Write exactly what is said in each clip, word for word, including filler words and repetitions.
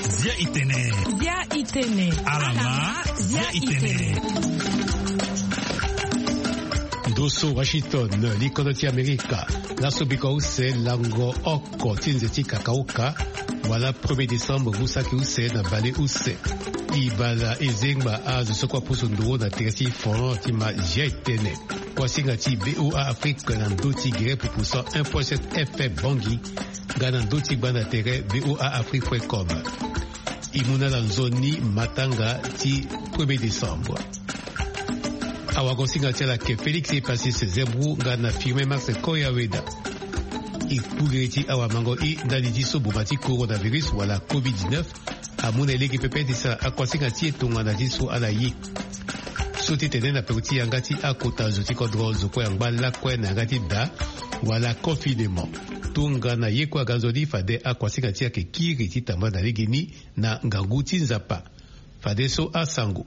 Zia itene. Zia itene. Alama, zia itene. Ndo so Washington, likodo ti Amerika. Laso biko use lango oko ti nze ti kakauka, wala premier décembre ngu saki use na bale use. E bala e zengba azo so kue apusu nduru na tere ti fon ti ma zia itene. Kuasinga ti VOA Afrique na ndö ti gere pupu cent un point sept F M Bangui, nga na ndö ti gbanda tere VOA Afrique point com. E mu na ala nzoni matanga ti premier décembre. Awagosinga ti ala ayeke Félix Epasis Zembro nga na Firmin Max Koyaweda. E kpugiri ti awamango i ndali ti so boma ti coronavirus wala covid dix-neuf amu na e lege pepe ti sara akuasinga ti e tongana ti so ala ye. So ti tene na peko ti yanga ti akota zo ti kodro zo kue angba lakue na yanga ti da wala confinement. Tongana ye kue aga nzoni fade akuasinga ti e ayeke kiri ti tambula na legeni na ngangu ti Nzapa. Fadeso asango.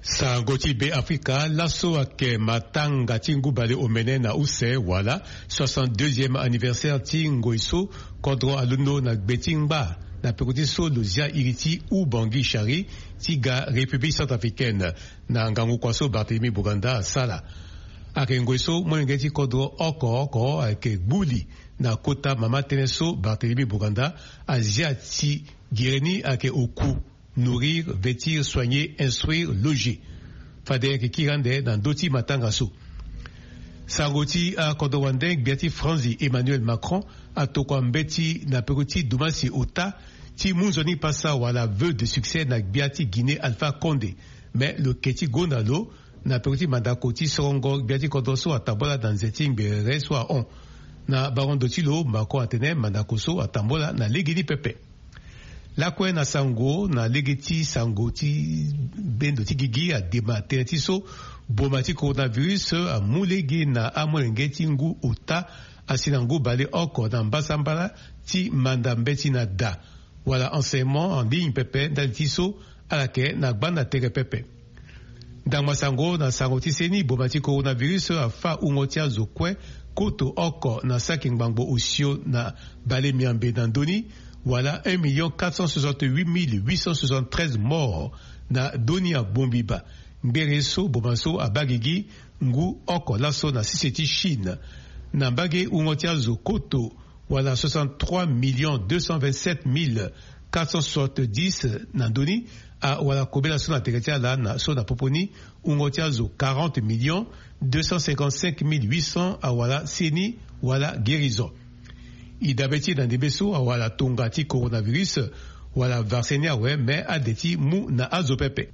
Sango ti Be Afrika, laso ayeke matanga ti ngu bale omene na use wala soixante-deuxième anniversaire ti ngoi so kodro alondo na gbe ti ngba na peko ti so lo zia iri ti Oubangui Chari ti ga République centrafricaine na ngangu kua so Barthélemy Boganda asala. Ayeke ngoi so molenge ti kodro oko oko ayeke gbu li na kota mama tënë so Barthélemy Boganda azia ti gere ni ayeke oku: nourrir, vêtir, soigner, instruire, loger. Fade ayeke kiri ande na ndö ti matanga so. Sango ti akodro wande, gbia ti Franzi Emmanuel Macron atokua mbeti na peko ti dumasi ota ti mu nzoni pasa wala vœux de succès na gbia ti Guinée Alpha Condé. Me lo yeke ti gonda lo na peko ti mandako ti sorongo gbia ti kodro so atambula na nze ti ngbere so ahon. Na bango ndo ti lo, Macron atene mandako so atambula na legeni pepe. Lakue na sango na lege ti sango ti bendo ti gigi adema tënë ti so boma ti coronavirus amu lege na amolenge ti ngu ota asi na ngu bale oko na mbasambala ti manda mbeti na da wala enseignement en ligne pepe ndali ti so ala yeke na gbanda tere pepe. Ndangba sango na sango ti seni, boma ti coronavirus afâ wungo ti azo kue koto oko na saki ngbangbo osio na bale miambe na ndö ni, wala un million quatre cent soixante-huit mille huit cent soixante-treize morts na ndö ni abongbi baa. Ngbere so boma so abaa gigi ngu oko laso na sese ti Chine. Na mbage wungo ti azo koto wala soixante-trois millions deux cent vingt-sept mille quatre cent soixante-dix na ndö ni, awara kobela so na tere ti ala na so na popo ni wungo ti azo quarante millions deux cent cinquante-cinq mille huit cents awara seni wala guérison. E dabe ti e na ndembe so awara tonga ti coronavirus wala vaccin ni awe, me ade ti mu na azo pepe.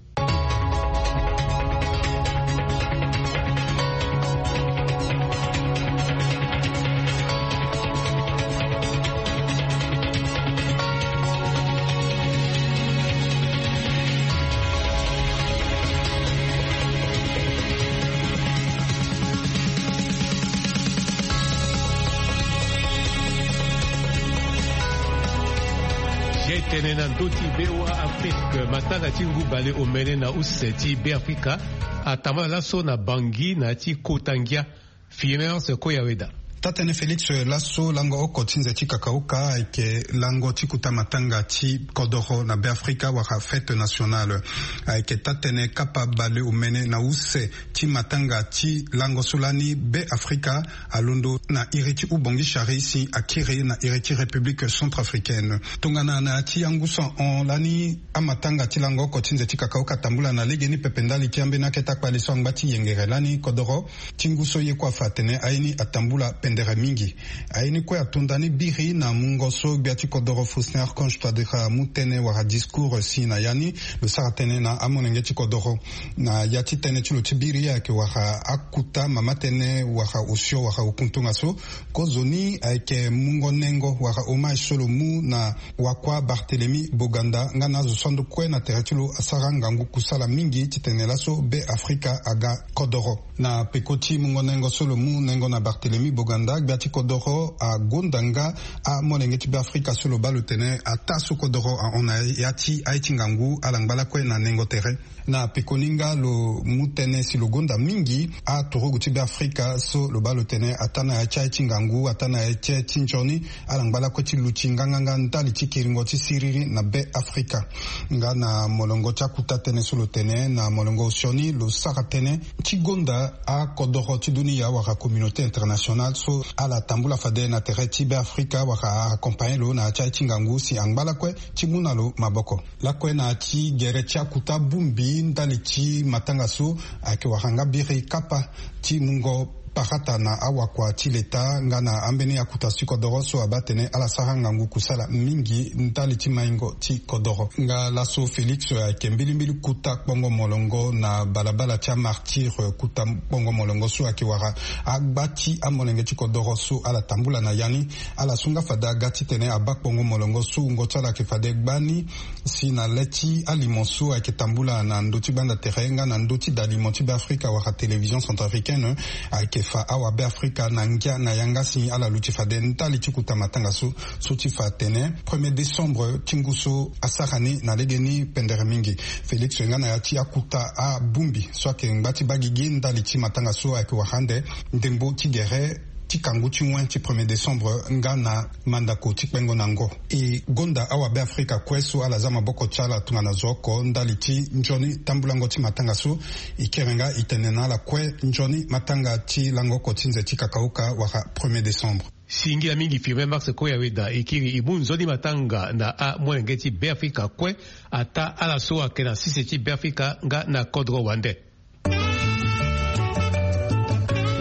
Zia itene na ndö ti VOA Afrique, matanga ti ngu bale omene na use ti Be Afrika atambula laso na Bangui na ya ti kota ngia. Filemence Koyaweda. Taa-tënë Félix, laso lango oko ti nze ti kakauka ayeke lango ti kota matanga ti kodoro na Be Afrika wala fête nationale. Ayeke taa-tënë kapa bale omene na use ti matanga ti lango so lani Be Afrika alondo na iri ti Oubangui Chari si akiri na iri ti République centrafricaine. Tongana na ya ti angu so ahon lani, amatanga ti lango oko ti nze ti kakauka atambula na legeni pepe ndali ti ambeni akete akpale so angba ti yengere lani kodoro ti ngu so ye kue afa atene aye ni atambula pendere mingi. Aye ni kue ato ndani biri na mungo so gbia ti kodoro Faustin Archange Touadéra amu tënë wala discours si na ya ni. Lo sara tënë na amolenge ti kodoro na ya ti tënë ti lo ti biri ayeke wara akota mama tënë wala osio wala okuntunga so. Kozoni ayeke mungo nengo wala hommage so lo mu na wakua Barthélemy Boganda nga na azo so ando kue na tere ti lo asara ngangu kusala mingi titene laso Be Afrika aga kodoro. Na peko ti mungo nengo so lo mu nengo na Barthélemy Boganda, Nda gbia ti kodoro agonda nga amolenge ti Beafrika so lo baa lo tene ataa so kodoro ahon na ya ti aye ti ngangu ala ngba lakue na nengo tere. Na pekoni nga lo mu tënë si lo gonda mingi aturugu ti Beafrika so lo baa lo tene ataa na ya ti aye ti ngangu, ataa na ya ti aye ti nzoni, ala ngba lakue ti luti nganganga ndali ti kiringo ti siriri na Beafrika. Nga na molongo ti akuta tënë so lo tene na molongo sioni, lo sara tënë ti gonda akodoro ti dunia wala communauté internationale so ala tambula fade na tere ti Beafrika wala aaccompagner lo na ya ti aye ti ngangu si angba lakue ti mu na lo maboko. Lakue na ya ti gere ti akuta bongbi ndali ti matanga so ayeke wara nga biri kapa ti mungo parata na awakua ti leta nga na ambeni akuta ti kodoro so abaa atene ala sara ngangu kusala mingi ndali ti maingo ti kodoro. Nga laso Félix ayeke mbilimbili kuta kpongo molongo na balabala ti amartyr, kuta kpongo molongo so ayeke wara agba ti amolenge ti kodoro so ala tambula na ya ni. Ala su nga fade aga titene abaa kpongo molongo so wungo ti ala ayeke fade gbani si na le ti alimo so ayeke tambula na ndö ti gbanda tere nga na ndö ti dalimo ti Beafrika wala télévision centrafricaine ayeke fa awabeafrika na ngia na yanga si ala luti fade ndali ti kuta matanga so, so ti fa atene premier décembre ti ngu so asara ni na legeni pendere mingi. Félix nga na ya ti akuta abongbi so ayeke ngba ti baa gigi ndali ti matanga so ayeke wara ande ndembo ti gere ti kangu ti wen ti premier décembre nga na mandako ti kpengo na ngo. E gonda awabeafrika kue so ala za maboko ti ala tongana zo oko ndali ti nzoni tambulango ti matanga so. E kiri nga e tene na ala kue nzoni matanga ti lango oko ti nze ti kakauka wala premier décembre. Singila mingi Firmin Max Koyaweda e kiri e mu nzoni matanga na amolenge ti Beafrika kue, ataa ala so ayeke na sese ti Beafrika nga na kodro wande. E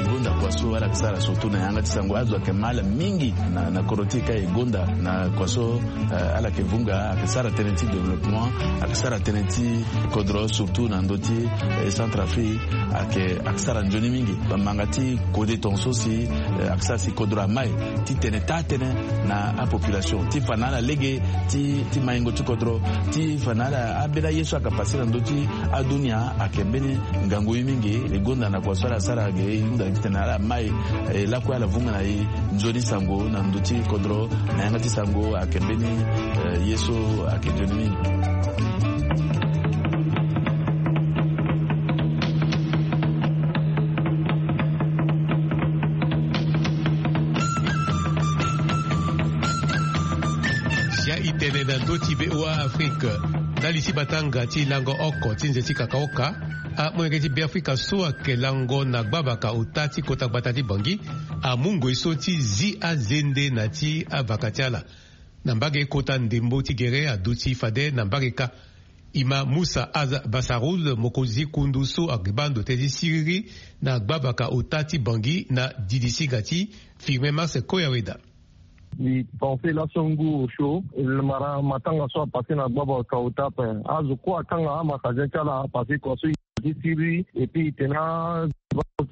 gonda kua so ala yeke sara surtout na yanga ti sango, azo ayeke ma ala mingi na, na kodro ti e ka e gonda na kua so, eh, ala yeke vunga, ayeke sara tënë ti développement, ayeke sara tënë ti kodro surtout na ndö ti, eh, Centrafrique, ayeke, ayeke sara nzoni mingi. Bamanga ti kode tongaso si, eh, ayeke sara si kodro amai ti tene taa tënë na apopulation ti fa na ala lege ti, ti maingo ti kodro, ti fa na ala ambeni aye so ayeke pase na ndö ti adunia ayeke mbeni ngangu ye mingi. E gonda na kua so ala sara ge e hunda titene ala mai, e lakue ala vunga na e nzoni sango na ndö ti kodro na yanga ti sango ayeke mbeni, eh, ye so ayeke nzoni mingi. Sia e tene na ndö ti VOA Afrique, ndali ti matanga ti lango oko ti nze ti kakaoka, amolenge ti Beafrika so ayeke lango na gbabaka ota ti kota gbata ti Bangui amu ngoi so ti zi azende na ti avaka ti ala. Na mbage kota ndembo ti gere aduti fade na mbage kâ. E ma Moussa Aza Basaroul, mokonzi kundu so ayeke baa ndo tënë ti siriri na gbabaka ota ti Bangui na didisinga ti Firmin Max Koyaweda. Mbi pense laso ngu osio, mara matanga so apase na gbabaka ota ape. Azo kue akanga amagazin ti ala parce que kua so e ti siriri, et puis e tene azo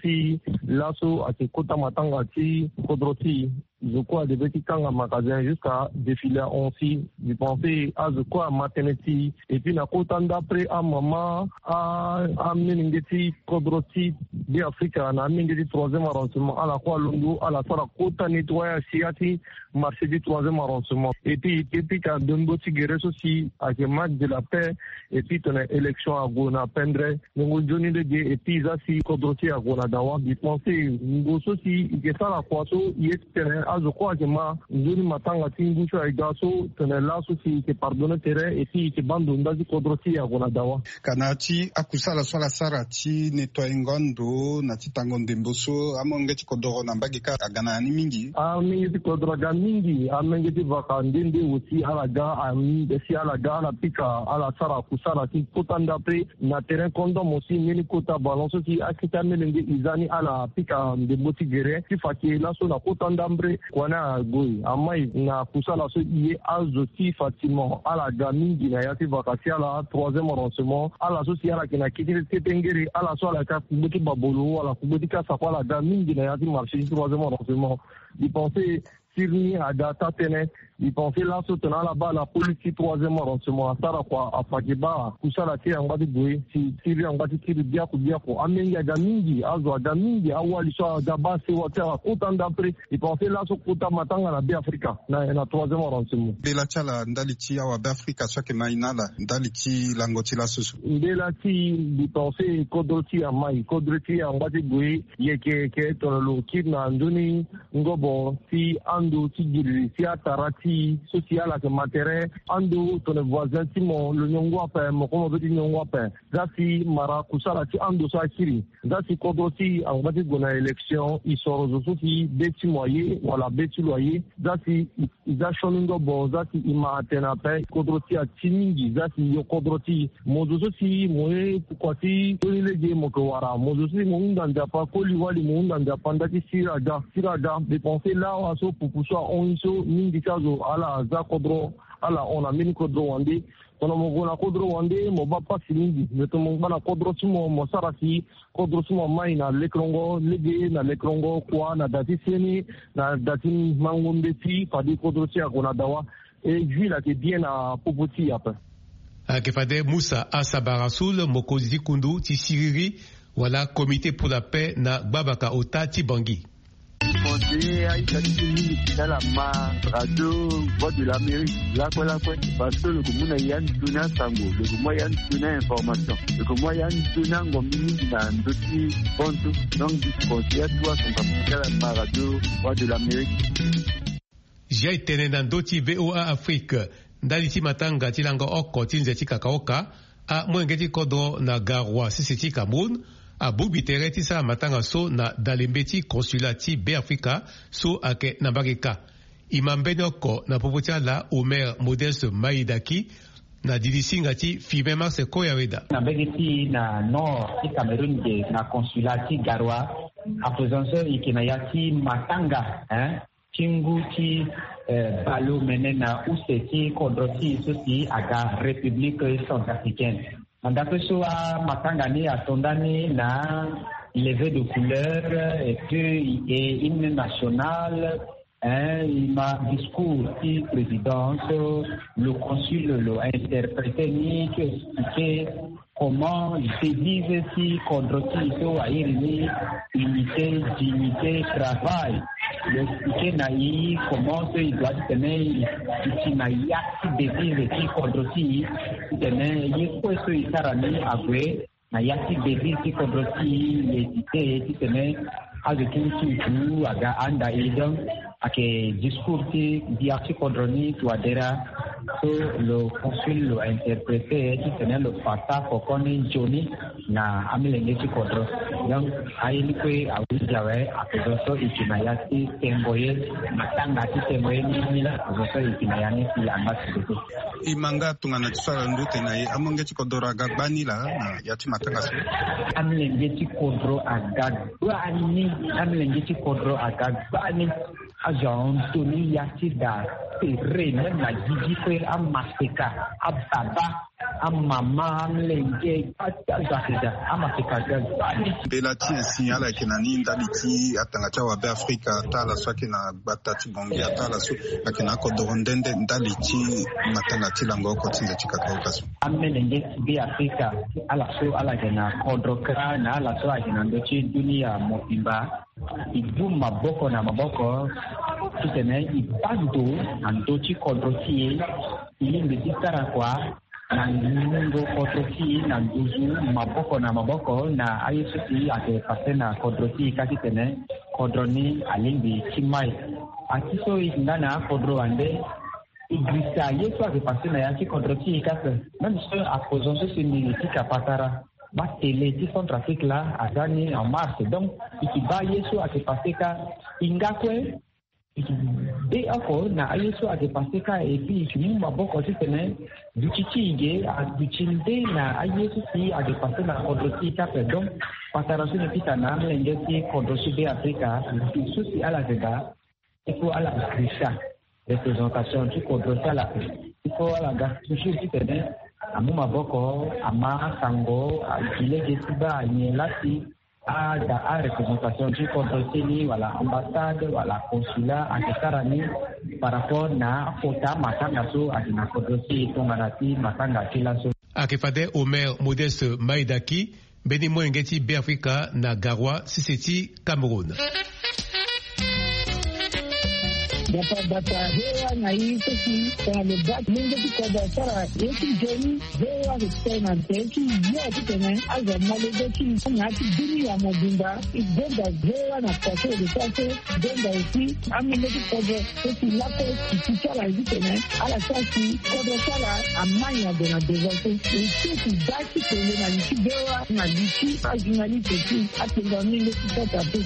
ti laso ayeke kota matanga ti kodro ti e. Zo kue adeve ti kanga magazin jusqu'à défilé ahon si. Mbi pense azo kue ama tënë ti e. Et puis na kota ndapre amama, a, amolenge ti kodro ti Beafrika na amolenge ti troisième arrondissement, ala kue alondo ala sara kota nettoyage si ya ti marché ti troisième arrondissement. Et puis e pika ndembo ti gere so si ayeke match de la paix. Et puis tongana élection ague na pendre, ndembo nzoni lege. Et puis e za si kodro ti e ague na dawa. Mbi pense ngo so si e yeke sara kua so e ye ti tene azo kue ayeke ma nzoni matanga ti ngu so aye ga so, tongana laso si e yeke pardonner tere et puis e yeke baa ndo nda ti kodro ti e ague na dawa. Ka na ya ti akusala so ala sara ti nettoyer ngo ando na ti tango ndembo so, amolenge ti kodoro na mbage kâ aga na ya ni mingi. Amolenge ti kodoro aga mingi, amolenge ti vaka nde nde aussi ala ga, am, si ala ga ala pika, ala sara kusala ti kota ndapre na terrain kondom aussi, mbeni kota ballon so si akete amolenge e za ni ala pika ndembo ti gere ti fa ke laso na kota ndapre. Kua ni ague amai na kusala so e ye azo ti Fatima, ala ga mingi na ya ti vaka ti ala troisième arrondissement. Ala so si ala yeke na kete kete ngere, ala so ala yeke akugbe ti babolo wala kugbe ti kasa kue, ala ga mingi na ya ti marché ti troisième arrondissement. Mbi pense siriri aga taa tënë. Mbi pense laso tongana ala baa la police ti troisième arrondissement asara kua, afaki baa kusala ti e angba ti gue si siriri angba ti kiri biaku biaku. Amenge aga mingi, azo aga mingi, awali so aga baa sewa ti ala kota ndapre. Mbi pense laso kota matanga na Be Afrika na, na troisième arrondissement. Mbela ti ala ndali ti awa Be Afrika so ayeke ma e na ala ndali ti lango ti laso so. Mbela ti e, mbi pense kodro ti e amai, kodro ti e angba ti gue yeke yeke tongana lo kiri na nzoni ngobo ti ando ti giriri ti atara ti e so si ala yeke ma tere. Ando tongana voisin ti mo lo nyongo ape, mo kue mo be ti nyongo ape. Za si mara kusala ti ando so akiri. Za si kodro ti e angba ti gue na élection, e soro zo so si be ti mo aye wala be ti lo aye. Za si e, e za sioni ngobo, za si e ma atene ape, kodro ti e ati mingi. Za si e yo kodro ti e, mo zo so si mo ye kua ti sioni lege mo yeke wara, mo zo so si mo hunda Nzapa koli wali, mo hunda Nzapa nda ti sira aga, sira aga. Mbi pense lawa so pupu so ahon e so mingi ti azo ala za kodro, ala hon na mbeni kodro wande. Tongana mo gue na kodro wande, mo baa pasi mingi. Me tongana mo ngba na kodro ti mo, mo sara si kodro ti mo amai na lekerengo lege, na lekerengo kua, na da ti seni, na da ti mango mbeti, fade kodro ti e ague na dawa. E ville ayeke bien na popo ti e ape. Ayeke fade Musa Asaba Rasoul, mokonzi ti kundu ti siriri wala Comité pour la paix na gbabaka ota ti Bangui. Conseiller aita ti mingi ti ala ma radio Voix de l'Amérique lakue lakue, parce que lo yeke mu na ya nzoni asango, lo yeke mu ya nzoni a-information, lo yeke mu ya nzoni angombi mingi na ndö ti hon so. Donc mbi conseiller atuwa asango ti ala ma radio Voix de l'Amérique. Zia e tene na ndö ti V O A Afrique ndali ti matanga ti lango oko ti nze ti kakaoka. Amolenge ti kodro na Garoua sese ti Cameroun abongbi tere ti sara matanga so na dalembe ti consulat ti Beafrika so ayeke na mbage kâ. E ma mbeni oko na popo ti ala Omer Modeste Maïdaki na didi singa ti Firmin Marcel Koyaweda. Na mbage ti e na nord ti Cameroun ge na consulat ti Garoua, ape so e yeke na ya ti matanga, hein, ti ngu ti, eh, baleomene na use ti kodro ti e so si aga République centrafricaine. Na ndapre so amatanga ni ato ndani na levée de couleur, et puis e hymne national, hein, e ma discours ti président so le consul lo interpréter ni, ti expliquer comment devise ti kodro ti e so airi ni unité, dignité, travail. Lo expliquer na e comment so e doit ti tene e, e ti na ya ti devise ti kodro ti e, ti tene ye kue so e sara ni ague na ya ti devise ti kodro ti e, e hésiter ti tene azo ti nsutu aga anda e. Donc ayeke discours ti gbia ti kodro ni Touadéra so lo consul lo interpréter ti tene lo fa sara koko ni nzoni na amolenge ti kodro. Donc aye ni kue ahundi awe, ape zo so e yeke na ya ti tengo ye, matanga ti tengo ye ni ni la, ape zo so e yeke na ya ni si angba ti dodo. E ma nga tongana ti so ala ndu tene na e, amolenge ti kodro aga gbani laa na ya ti matanga so? Amolenge ti kodro aga gbani, amolenge ti kodro aga gbani. Azo ahon toni ya ti da tere, même na gigi kue, amaseka, ababa, amama, amolenge, kpata azo ayeke daa, amaseka aga gbani. Mbela ti e si ala yeke na ni ndali ti atanga ti awabe Afrika, ata ala so ayeke na gbata ti Bangui, ata ala so ayeke na akodoro nde nde ndali ti matanga ti lango oko ti nze ti kakaoka so. Amolenge ti Beafrika, ala so ala yeke na kodro kâ na ala so ayeke na ndö ti dunia mobimba, e du maboko na maboko ti tene e baa ndo na ndö ti kodro ti e. E lingbi ti sara kua na ngingo kodro ti e na nduzu maboko na maboko na aye so si ayeke pase na kodro ti e kâ ti tene kodro ni alingbi ti mai. Ati so e yeke nga na akodro wande, e girisa ye so ayeke pase na ya ti kodro ti e kâ ape. Même so apoison so si mbi pika patara, batele ti Centrafrique laa aza ni en marche. Donc e yeke baa ye so ayeke pase kâ. E nga kue e yeke de oko na aye so ayeke pase kâ, et puis e yeke mu maboko ti tene duti ti e ge aduti nde na aye so si ayeke pase na kodro ti e kâ ape. Donc patara so mbi pika na amolenge ti kodro ti Beafrika, so si ala yeke daa, il faut ala girisa représentation ti kodro ti ala. Il faut ala ga toujours ti tene amu maboko, ama asango, agi lege ti baa anyen lasi. Ada areprésentation ti kodro ti ni wala ambassade wala consulat ayeke sara ni par rapport na akota matanga so ayeke na kodro ti e tongana ti matanga ti laso. Ayeke fade Omer Modeste Maïdaki, mbeni molenge ti Beafrika na Garoua, sese ti Cameroun. Bata bata, V O A na i so si tongana lo baa molenge ti kodro asara ye ti nzoni, V O A ayeke tene na tere ti yo titene azo amolenge ti na ya ti dunia mobimba. E gonda V O A na kua so e lo sara so, e gonda aussi amolenge ti kodro so si lakue ti ti ti ala ye titene ala sara si kodro ti ala amai ade na devant so. E so ti baa ti kele na li ti V O A na li ti ajournaliste ti atenga mingi ti kota pe.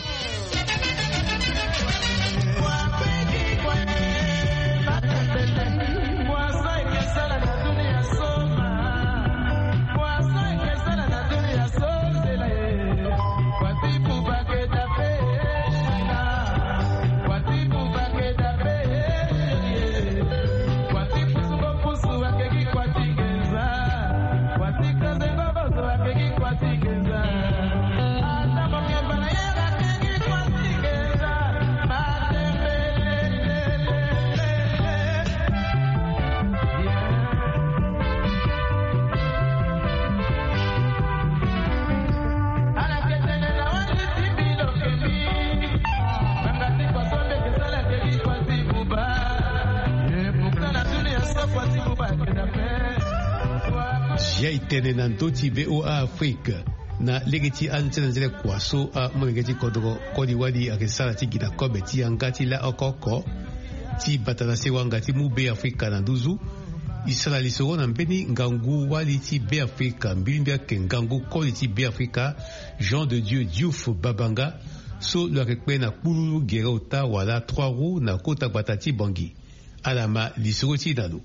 Zia e tene na ndö ti V O A Afrique. Na lege ti anzele nzele kua so amolenge ti kodro koli wali ayeke sara ti gi na kobe ti yanga ti la oko oko ti bata na sewanga ti mu Beafrika na nduzu. E sara lisoro na mbeni ngangu wali ti Beafrika, mbilimbia ayeke ngangu koli ti Beafrika, Jean de Dieu Diouf Babanga, so lo yeke kpe na kpululu gere ota wala trois roues na kota gbata ti Bangui. Ala ma lisoro ti e na lo.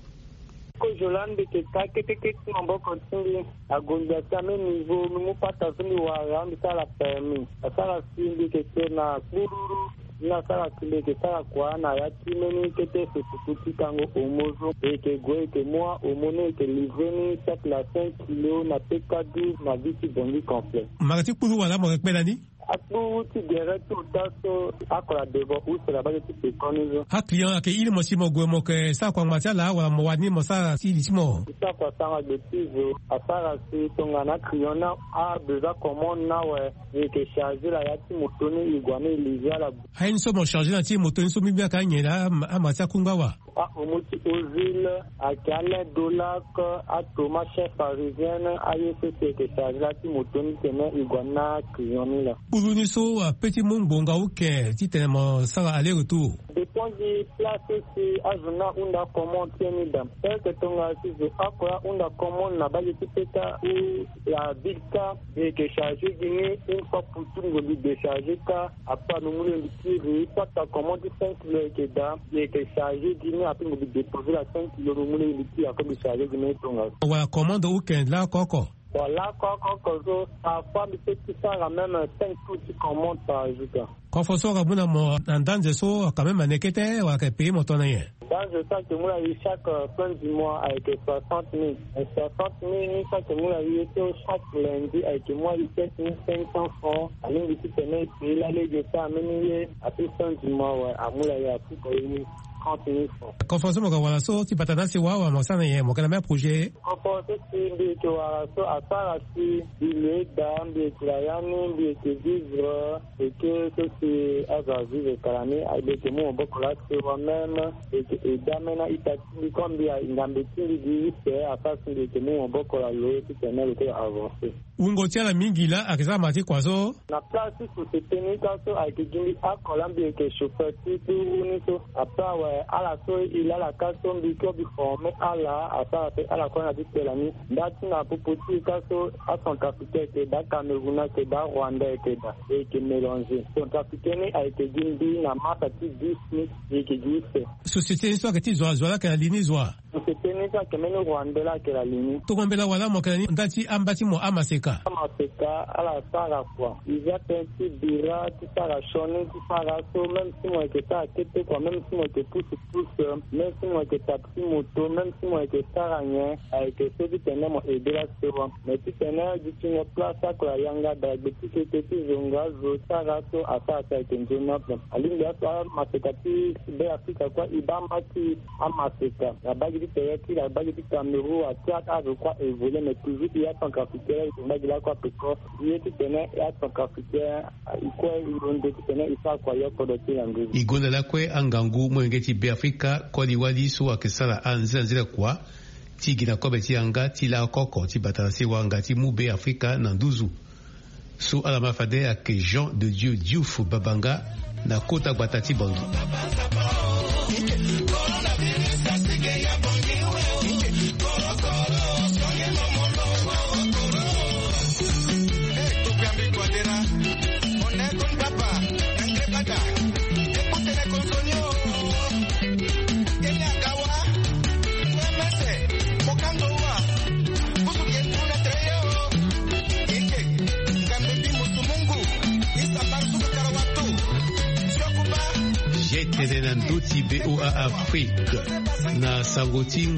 Kozo laa mbi yeke ka kete kete ti maboko ti mbi. Agonda ti ame niveau mbi mu pata so mbi wara mbi sara permis. Asara si mbi yeke kpe na kpululu. Ni asara si mbi yeke sara kua na ya ti mbeni kete sosuku ti kango omo so. E yeke gue e yeke mu ahomo ni e yeke livrer ni cercle à cinq kilos na P K douze na ville ti Bangui complet. Mara ti kpululu wala mo yeke kpe na ni? Akpuru ti gere ti ota so akola devant use na bage ti pekoni so. Aclient ayeke iri mo si mo gue mo yeke sara kua ngbanga ti ala wala mo wara ni mo sara ti li ti mo? Ti sara kua sara gbe ti zo asara si tongana aclient ni abesoin commande ni awe, e yeke charger la ya ti moto ni e gue ni e livrer ala. Aye ni so mo charger na ti moto ni so mbi mbi ayeke anyen laa ama ti akunga wa. Ahomo ti Ozil, ayeke alain Dolac, atoma chef parisienne, aye so si e yeke charger la ti moto ni titene e gue na client ni laa. Kpuru ni so ape ti mu ngbonga uke titene mo sara aller retour? Dépend gi place so si azo ni ahunda commande ti e ni daa. Eke tongana si zo oko ahunda commande na bage ti peta ou la ville ka, mbi yeke charger gi ni une fois pour tout, mbi décharger ka. Après mbi mu lege mbi tiri pata commande ti cinq kilo ayeke daa, mbi yeke charger gi ni. Après mbi déposer la cinq kilo, mbi mu lege mbi tiri, après mbi charger gi ni tongaso. Wala commande weekend laoko oko? Bon, laoko oko so parfois mbi peut ti sara même cinq tours ti commande par jour ka. Kofo so aka mu na mo na ndanze so, quand même ane kete wala ayeke payer mo tongana nyen? Ndanze so ayeke mu na e chaque, euh, fin du mois ayeke soixante mille. Soixante mille ni so ayeke mu na e so chaque lundi ayeke mu na e sept mille cinq cents francs. Alingbi titene e payer la lege so ameni ye. Après fin du mois, ouais, amu na e apuka e ni trente mille francs. Kofo so mo yeke wara so ti bata na asewa wala mo sara na nyen, mo yeke na même projet? Kofo so si mbi yeke wara so asara si mbi lo eda, mbi yeke na ya ni, mbi yeke vivre. Eke so si azo avivre kala ni, mbi yeke mu maboko laa sewa même, mbi yeke eda même na ita ti mbi comme mbi a ngambe ti mbi gi use, asara si mbi yeke mu maboko laa lo titene lo kue avancer. Wungo ti ala mingi laa ayeke sara mara ti kua so? Na place ti société ni ka so ayeke gi mbi oko laa mbi yeke chauffeur ti kpuru ni so. Après awe ala so e laa ala ka so mbi kue mbi former ala, asara pe ala kue na ti kpela ni. Nda ti na popo ti e ka so acentrafricain ayeke daa, acameroun ayeke daa, arwandais ayeke daa, e yeke mélanger. Centrafricain ni ayeke gi mbi na masa ti dix ni, e yeke gi use. Société ni so ayeke ti zo wa, zo wa laa ayeke na li ni zo wa? Société ni so ayeke mbeni rwandais laa ayeke na li ni. Tongana mbela wala mo yeke na ni nda ti amba ti mo amaseka? Ka. Amaseka ala sara kua. Iza tënë ti bira ti sara sioni ti sara so même si mo yeke sara kete kua, même si mo yeke pusu pusu, même si mo yeke taxi moto, même si mo yeke sara nyen, ayeke so ti tene mo aide la sewa. Mais ti tene dutingo place akula yanga da gbe ti kete ti zonga zo sara so asara si ayeke nzoni ape. Alingbi aso amaseka ti Be Afrika kue e baa mba ti amaseka na bagi ti tere ti la bagi ti Cameroun, a Tchad, a je crois évolué, mais toujours ti ya Centrafricain la e ke mbagi lakue ape ko. Ye ti tene ya Centrafricain e kue e londo ti tene e sara kua yo kodro ti lango. E gonda lakue angangu molenge ti Be Afrika koli wali so ayeke sara anzela nzela kua ti gi na kobe ti yanga ti lako oko ti bata na sewa nga ti mu Be Afrika na nduzu. So ala ma fade ayeke Jean de Dieu Diouf Babanga na kota gbata ti Bangui. Ye tene na ndö ti V O A Afrique na sango ti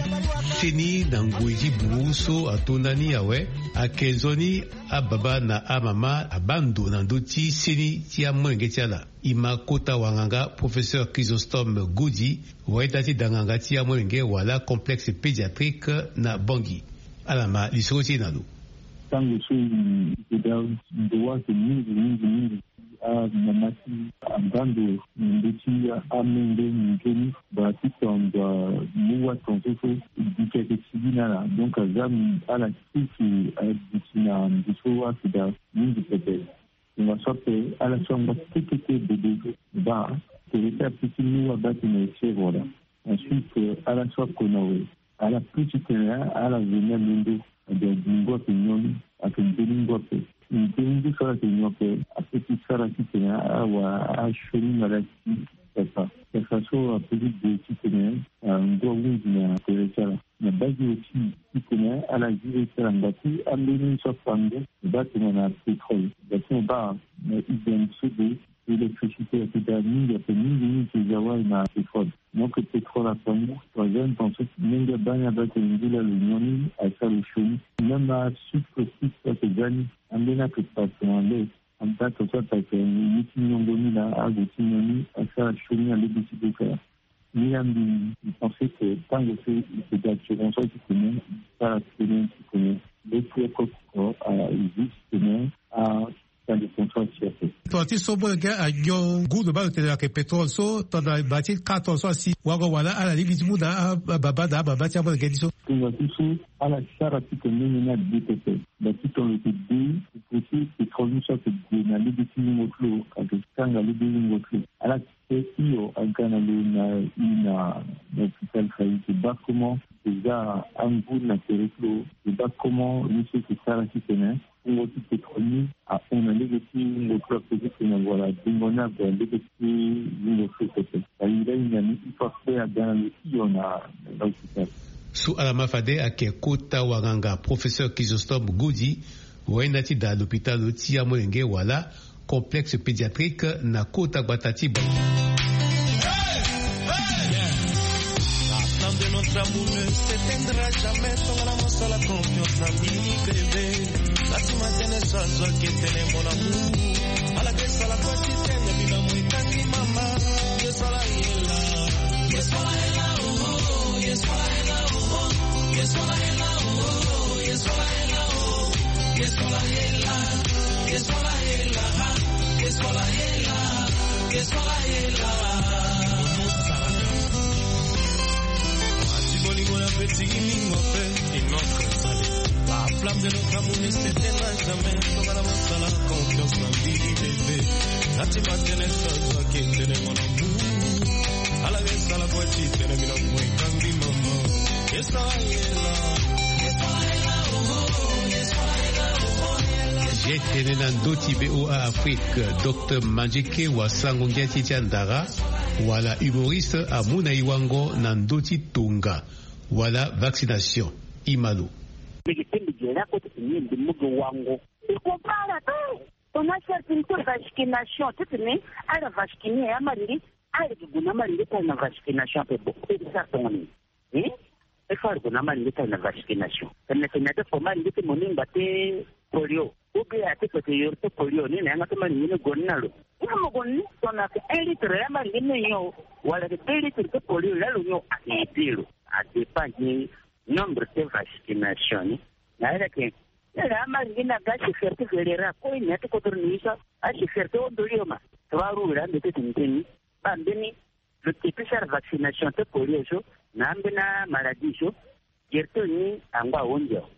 seni na ngoi ti buru so atonda ni awe, ayeke nzoni ababa na amama abaa ndo na ndö ti seni ti amolenge ti ala. E ma kota wanganga professeur Chrysostome Godi, wayenda ti da nganga ti amolenge wala complexe pédiatrique na Bangui. Ala ma lisoro ti e na lo. Tango so e ke daa ndo wa ake mingi mingi mingi, amama ti abaa ndo na ndö ti amolenge nzoni, ba ti tongana mu wa tongaso so e duti ayeke sigi na ala. Donc aza ala kue si aduti na ndo so wa ake daa mingi pepe. Tongaso ape ala so angba kekeke bebe so baa tere ti ape ti mu wa baa tene e sere wala. Ensuite ala so ako na we, ala plus ti tene ala zo ni alondo. Ade ague ngu ape nyon ni, ake mbeni ngu ape. Mbeni ngu so ala yeke nyon ape, ape ti sara titene ala wara asioni maladi ti pepa. Pepa so ape ti gue titene ngu ahunzi na tere ti ala. Na base aussi titene ala zi le ti ala ngba ti ambeni so apango, mo baa tongana pétrole. Ngba ti mo baa na idem so de électricité ayeke daa mingi ape, mingi mingi ti za wali na pétrole. Donc pétrole apango, troisième temps so ti ndenge abaa ni abaa tene ngu laa lo nyon ni asara lo sioni. Même asucre aussi so ayeke za ni, ambeni ayeke passe na le. Anda tongaso ape ayeke ye ti nyongo ni laa ague ti nyon ni asara sioni na lege ti beka. Ni la mbi, mbi pense que tango so e ke daa tongaso titene e sara titene titene le ti oko oko a existe titene a Tongana ti so molenge anyon ngu lo baa lo tene lo yeke pétrole so tongana baa ti quatorze so asi wango wala ala lingbi ti mu na ababa na amama ti amolenge ni so. Tongana ti so ala sara ti tene ni abe pepe. Baa ti tongana lo yeke de, lo poti pétrole ni so ayeke gue na lege ti wungo ti lo, ayeke kanga lege wungo ti lo. Ala ti te hio aga na lo na i na hôpital fa e yeke baa comment e za angu na tere ti lo, e baa comment ye so e yeke sara titene wungo ti pétrole ni ahon na lege ti wungo ti lo ape titene wala dengo ni ague na lege ti wungo ti lo pepe. Aye lahinga ni il faut akpe aga na lo hio na hôpital. So ala ma fade ayeke kota wanganga professeur Chrysostome Godi, wayenda ti daa lopitalo ti amolenge wala complexe pédiatrique na kota gbata ti Bangui. La flamme de notre amour ne s'éteindra jamais. Tongana mosala confiance na mbi bébé. Nati matene so azwaki etene mon amour. Ala ke sala kua ti tene bino mo etangi mama. Ye sala yela. Ye sala yela, oh, oh, ye sala yela, oh, oh. Ye sala yela, oh, oh, ye sala yela, oh. La flamme de notre amour ne s'éteindra jamais. Tongana mosala confiance na mbi bébé. Nati matene so azwaki etene mon amour. Ala ke sala kua ti tene bino mo etangi mama. Ye sala yela. Ye tene na ndö ti V O A Afrique, Docteur Mandjeke wasango ngia ti ti andara wala humoriste amu na e wango na ndö ti tonga wala vaccination. E ma lo. Mbi yeke te mbi gere oko ti tene mbi mu gi wango. Mbi comprendre ala te. Tongana asara ti mbi ti vaccination ti tene ala vacciner amalenge, ala yeke gue na amalenge ti ala na vaccination ape. Bon, e sara tongana nyen? Hein? E fâ ala gue na amalenge ti ala na vaccination. Tene tene ate fo amalenge ti mo ni ngba ti polio. Ou bien ate fo ate yoro ti polio ni na yanga ti amalenge ni gue ni na lo. Ni mo gue ni tongana ayeke un litre ya amalenge ni nyon, wala ayeke deux litres ti polio ya lo nyon, ayeke aidé lo. A dépend ti nombre ti vaccination ni. Na ala yeke, na ala amalenge ni aga achauffeur ti véléra kue, na ya ti kodro ni so achauffeur ti hon dolio ma. Trois roues la ande ti tene tene. Baa mbeni lo ke ti sara vaccination ti polio so na ambeni amaladie so, gere ti lo ni angba ahon ndio.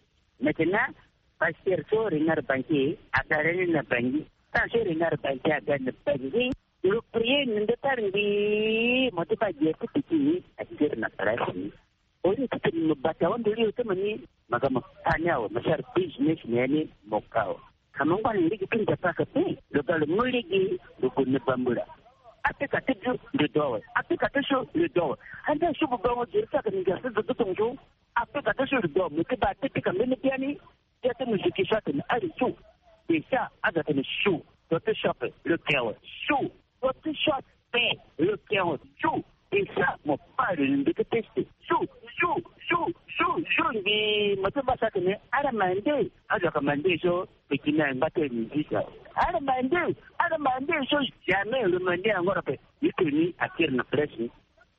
Maintenant, pasteur so Renard Banquier aga lani na Bangui. Tant so Renard Banquier aga na Bangui, lo prier na ndö ti ala ngbii, mo ti baa gere ti piki ni, akiri na place ni. Au lieu ti tene mo bata wandolio ti mo ni, mo ga mo ka ni awe, mo sara business na ya ni, mo ka awe. Ka mo ngba na lege ti Nzapa ka pe, lo ga lo mu lege, lo gue na bambula. Apika ti bio, lo do awe. Apika ti so, lo do awe. Ande so bubango gere ti aka ni ga so zo ti tongaso. Apika ti so, lo do awe. Mo ti baa ti pika mbeni biani. Ti ate mo zo ki so atene ari so. Desa azo atene so. Zo ti shop, lo ke awe. So. Zo ti shop, pe, lo ke awe. So. Desa mo pari lo ndeke teste. So, so, so, so, so, ngbii mo ti baa so atene ala mande. Azo aka mande so. Peki ni angba ti miziki awe. Ala mande, ala mande so jamais lo mande angora pe. Ni teni akiri na presse ni.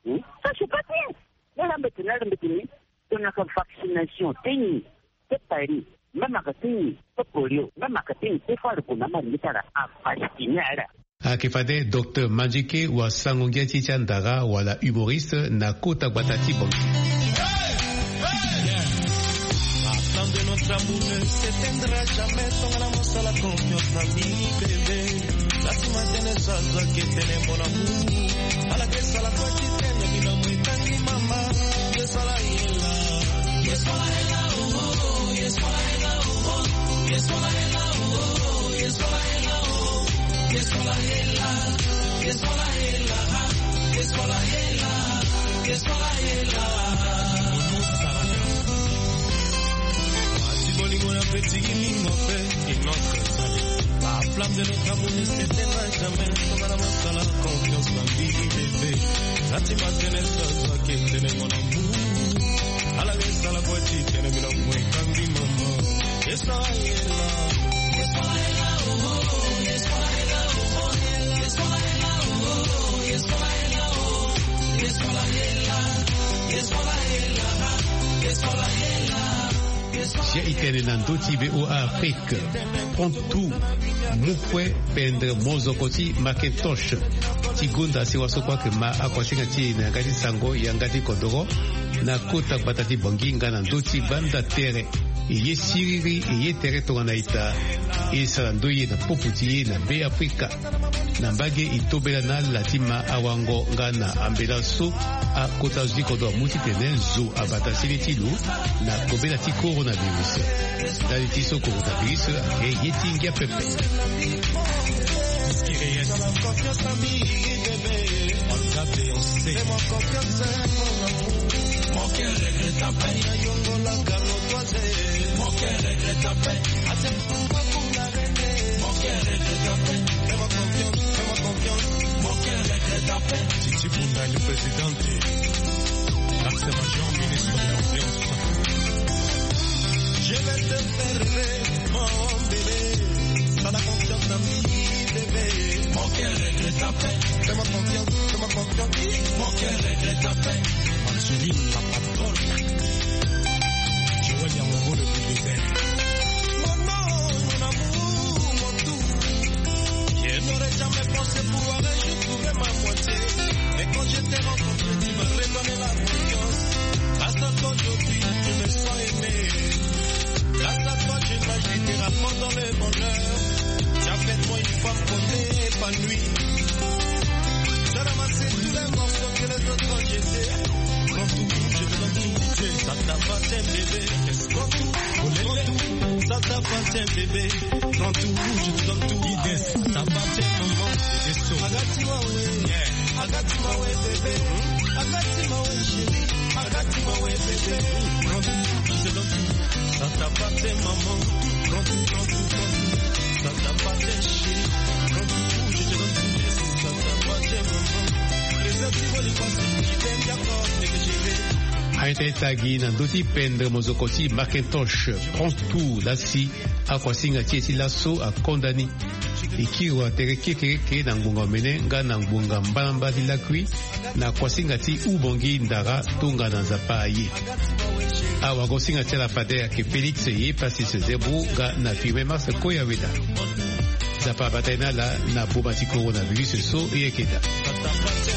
Hmm? Ça, c'est pas bien. Ni ala mbeti ni, ala mbeti ni. Tongana ka vaccination ti nyen ti paris, même aka ti nyen ti polio, même aka ti nyen ti fâ lo gue na amalenge ti ala avacciner ala. Ayeke fade Docteur Mandjike wa sango ngia ti ti andara wala humoriste na kota gbata ti Bangui. Attends de notre amour ne s'éteindra jamais, tongana mo sala confiance na mbi bébé. Lati ma tene so azo ayeke tene mon amour. Ala ke sala kue ti tene bino mo etangi mama. Ye so ala ye la. Ye so ala ye la, oh, oh, ye so ala ye la, oh, oh, ye so ala ye la, oh, oh, ye so ala ye la, oh, ye so ala ye la. Ye so ala ye la, ye so ala ye la, ye so ala ye la. Ati bolingo na petit mingo pe. Une autre. La flamme de notre amour ne s'éteindra jamais. Tongana mo sala confiance na mbi bébé. Lati ma tene so azo ayeke tene mon amour. Ala ke sala kue ti tene bino mo etangi mama. Ye so ala ye la. Ye so ala ye la, oh, oh, ye so ala ye la, oh, oh, ye so ala ye la, oh, oh, ye so ala ye la, oh, oh, ye so ala ye la. Ye so ala ye la, ye so ala ye la, ye so ala ye la. Sia e tene na ndö ti V O A Afrique. Prends tout, mu kue pendre mozoko ti Macintosh ti gonda sewa so kue ayeke ma akuasinga ti e na yanga ti sango yanga ti kodoro na kota gbata ti Bangui nga na ndö ti banda tere. E ye siriri, e ye tere tongana ita. E sara ndoye na popo ti e na Be Afrika. Na mbage e tobela na ala ti ma awango nga na ambela so akota zo ti kodro amu titene zo abata sene ti lo na kobela ti coronavirus. Ndali ti so coronavirus ayeke ye ti ngia pepe. Mon cœur regrette à peine. Mon cœur regrette à peine. Mon cœur regrette à peine. Fais-moi confiance, fais-moi confiance. Mon cœur regrette à peine. Titi Bunda, le président de l'axe major, ministre de l'Ambiance. Je vais te faire rêver, mon bébé. Sala confiance na mbi, bébé. Mon cœur regrette à peine. Fais-moi confiance, fais-moi confiance. Mon cœur regrette à peine. Angeline, la patronne. Tu vois, il y a mon beau le bulldozer. Mon nom, mon amour, mon tout. Je n'aurais jamais pensé pouvoir un jour trouver ma moitié. Mais quand je t'ai rencontré, tu m'as redonné la confiance. Grâce à toi, aujourd'hui, je me sens aimé. Grâce à toi, je nage littéralement dans le bonheur. Tu as fait de moi une femme qu'on épanouie. J'ai ramassé tous les morceaux que les autres ont jetés. Prends tout, je te donne tout. Ça t'appartient, bébé. Prends tout, prends tout. Ça t'appartient, bébé. Prends tout, je te donne tout. Ça t'appartient, maman. Agatima we. Yeah. Agatima we, bébé. Agatima we, chérie. Agatima we, bébé. Prends tout, je te donne tout. Aita e tagi na ndö ti pendre mozoko ti Macintosh, Prends tout, lasi akuasinga ti e ti laso akonda ni. E kiri wa tere kekereke na ngbonga omene nga na ngbonga mbalamba ti lakui na kuasinga ti Ubongi Ndara, tongana Nzapa aye. Awagosinga ti ala fade ayeke Félix Yepassis Zebro nga na Firmin Mars Koyaweda. Nzapa abata ye na ala na boma ti coronavirus so e yeke daa.